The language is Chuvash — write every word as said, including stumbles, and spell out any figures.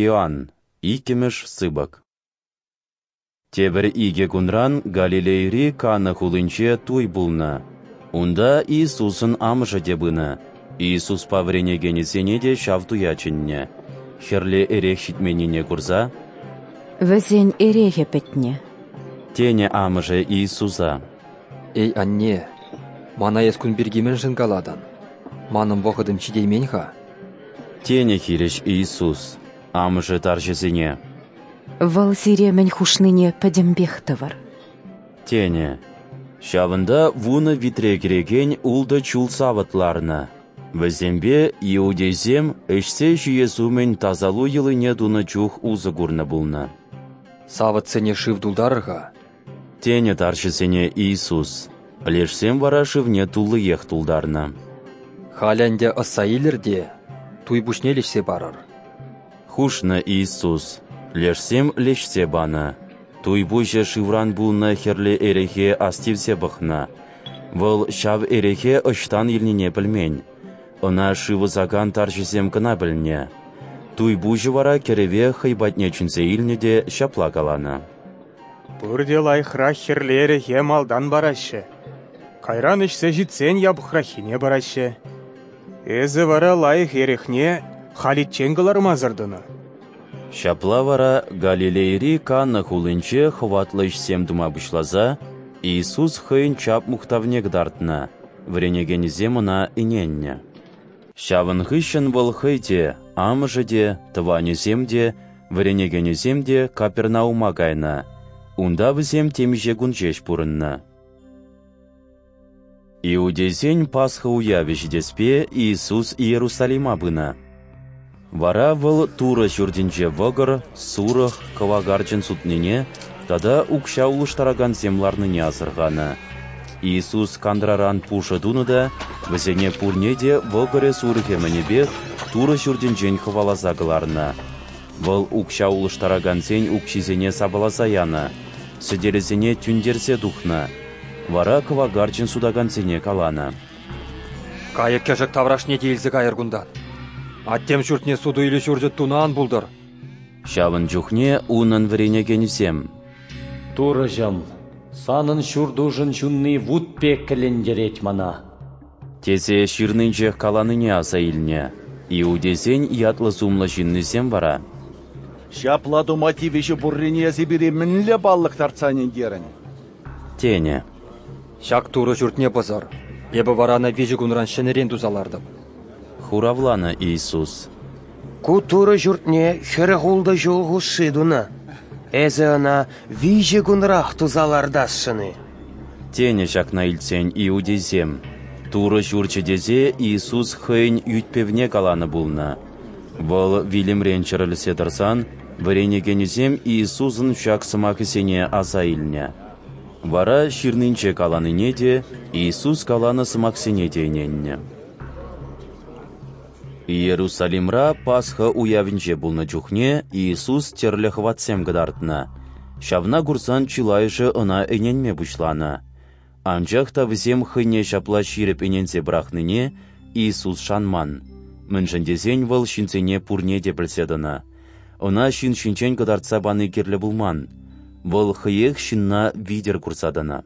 Иоанн, иккӗмӗш сыпӑк. Тепӗр икӗ кунран Галилейӑри Кана хулинче туй пулнӑ. Унта Иисусӑн амӑшӗ те пынӑ. Иисуспа вӗренекенӗсене те ҫав туя чӗннӗ. Хӗрлӗ эрех ҫитменнине курса: «Вӗсен эрехӗ пӗтнӗ», – тенӗ амӑшӗ Иисуса. «Эй, анне, мана эс кун пирки мӗншӗн калатӑн? Манӑн вӑхӑтӑм ҫитеймен-ха», – тенӗ хирӗҫ Иисус. Амӑшӗ тарҫӑсене: «Вӑл сире мӗн хушнине пӗтӗмпех тӑвӑр», – тенӗ. Ҫавӑнта вунӑ витре кӗрекен ултӑ чул савӑт ларнӑ. Вӗсемпе иудейсем ӗҫсе ҫиес умӗн тасалу йӑлине тунӑ чух усӑ курнӑ пулнӑ. «Савӑтсене шыв тултарӑр-ха», – тенӗ тарҫӑсене Иисус. Лешсем вара шывне туллиех тултарнӑ. «Халӗ ӗнтӗ ӑсса илӗр те туй пуҫне леҫсе парӑр», – хушнӑ Иисус. Лешсем леҫсе панӑ. Туй пуҫӗ шывран пулнӑ хӗрлӗ эрехе астивсе пӑхнӑ. Вӑл ҫав эрехе ӑҫтан илнине пӗлмен. Ӑна шыв ӑсакан тарҫӑсем кӑна пӗлнӗ. Туй пуҫӗ вара кӗрӗве хӑй патне чӗнсе илнӗ те ҫапла каланӑ: «Пурте лайӑхрах хӗрлӗ эрехе малтан параҫҫӗ. Кайран ӗҫсе ҫитсен япӑхраххине параҫҫӗ. Эсӗ вара лайӑх эрехне халиччен кӑлармасӑр тӑнӑ». Ҫапла вара Галилейӑри Кана хулинче хӑватлӑ ӗҫсем тума пуҫласа Иисус хӑйӗн чап-мухтавне кӑтартнӑ, вӗренекенӗсем ӑна ӗненнӗ. Ҫавӑн хыҫҫӑн вӑл хӑй те, амӑшӗ те, тӑванӗсем те, вӗренекенӗсем те Капернаума кайнӑ. Унта вӗсем темиҫе кун ҫеҫ пурӑннӑ. Иудейсен Пасха уявӗ ҫитеспе Иисус Иерусалима пынӑ. Вара вӑл Турӑ ҫуртӗнче вӑкӑр, сурӑх, кӑвакарчӑн сутнине тата укҫа улӑштаракансем ларнине асӑрханӑ. Иисус кантраран пушӑ тунӑ та вӗсене пурне те вӑкӑрӗ-сурӑхӗ мӗнӗпех Турӑ ҫуртӗнчен хӑваласа кӑларнӑ. Вӑл укҫа улӑштаракансен укҫисене сапаласа янӑ, сӗтелӗсене тӳнтерсе тухнӑ. Вара кӑвакарчӑн сутакансене каланӑ: «Кайӑк-кӗшӗк таврашне те илсе кайӑр кунтан. Аттем ҫуртне суту-илӳ ҫурчӗ тунӑ ан пултӑр». Ҫавӑн чухне унӑн вӗренекенӗсем: «Турӑҫӑм, санӑн ҫуртушӑн ҫунни вут пек кӗллентерет мана», – тесе ҫырнинчех каланине аса илнӗ. Иудейсен ятлӑ-сумлӑ ҫыннисем вара: «Ҫапла тума тивӗҫӳ пуррине эсӗ пире мӗнле паллӑ кӑтартса ӗнентерӗн?» – тенӗ. «Ҫак Турӑ ҫуртне пӑсӑр, эпӗ вара ӑна виҫӗ кунран ҫӗнӗрен туса лартӑп», – хуравланӑ Иисус. «Ку Турӑ ҫуртне хӗрӗх ултӑ ҫул хушши тунӑ, эсӗ ӑна виҫӗ кунрах туса лартасшӑн-и?» тенӗ ҫакна илтсен иудейсем. Турӑ ҫурчӗ тесе Иисус хӑйӗн ӳт-пӗвне каланӑ пулнӑ. Вӑл вилӗмрен чӗрӗлсе тӑрсан вӗренекенӗсем Иисусӑн ҫак сӑмахӗсене аса илнӗ. Вара ҫырнинче каланине те, Иисус каланӑ сӑмахсене те ӗненнӗ. Иерусалимра Пасха уявӗнче пулнӑ чухне Иисус тӗрлӗ хӑватсем кӑтартнӑ. Ҫавна курсан чылайӑшӗ ӑна ӗненме пуҫланӑ. Анчах та вӗсем хӑйне ҫапла ҫирӗп ӗненсе пӑрахнине Иисус шанман. Мӗншӗн тесен вӑл ҫынсене пурне те пӗлсе тӑнӑ. Ӑна ҫын ҫинчен кӑтартса пани кирлӗ пулман. Вӑл хӑех ҫынна витӗр курса тӑнӑ.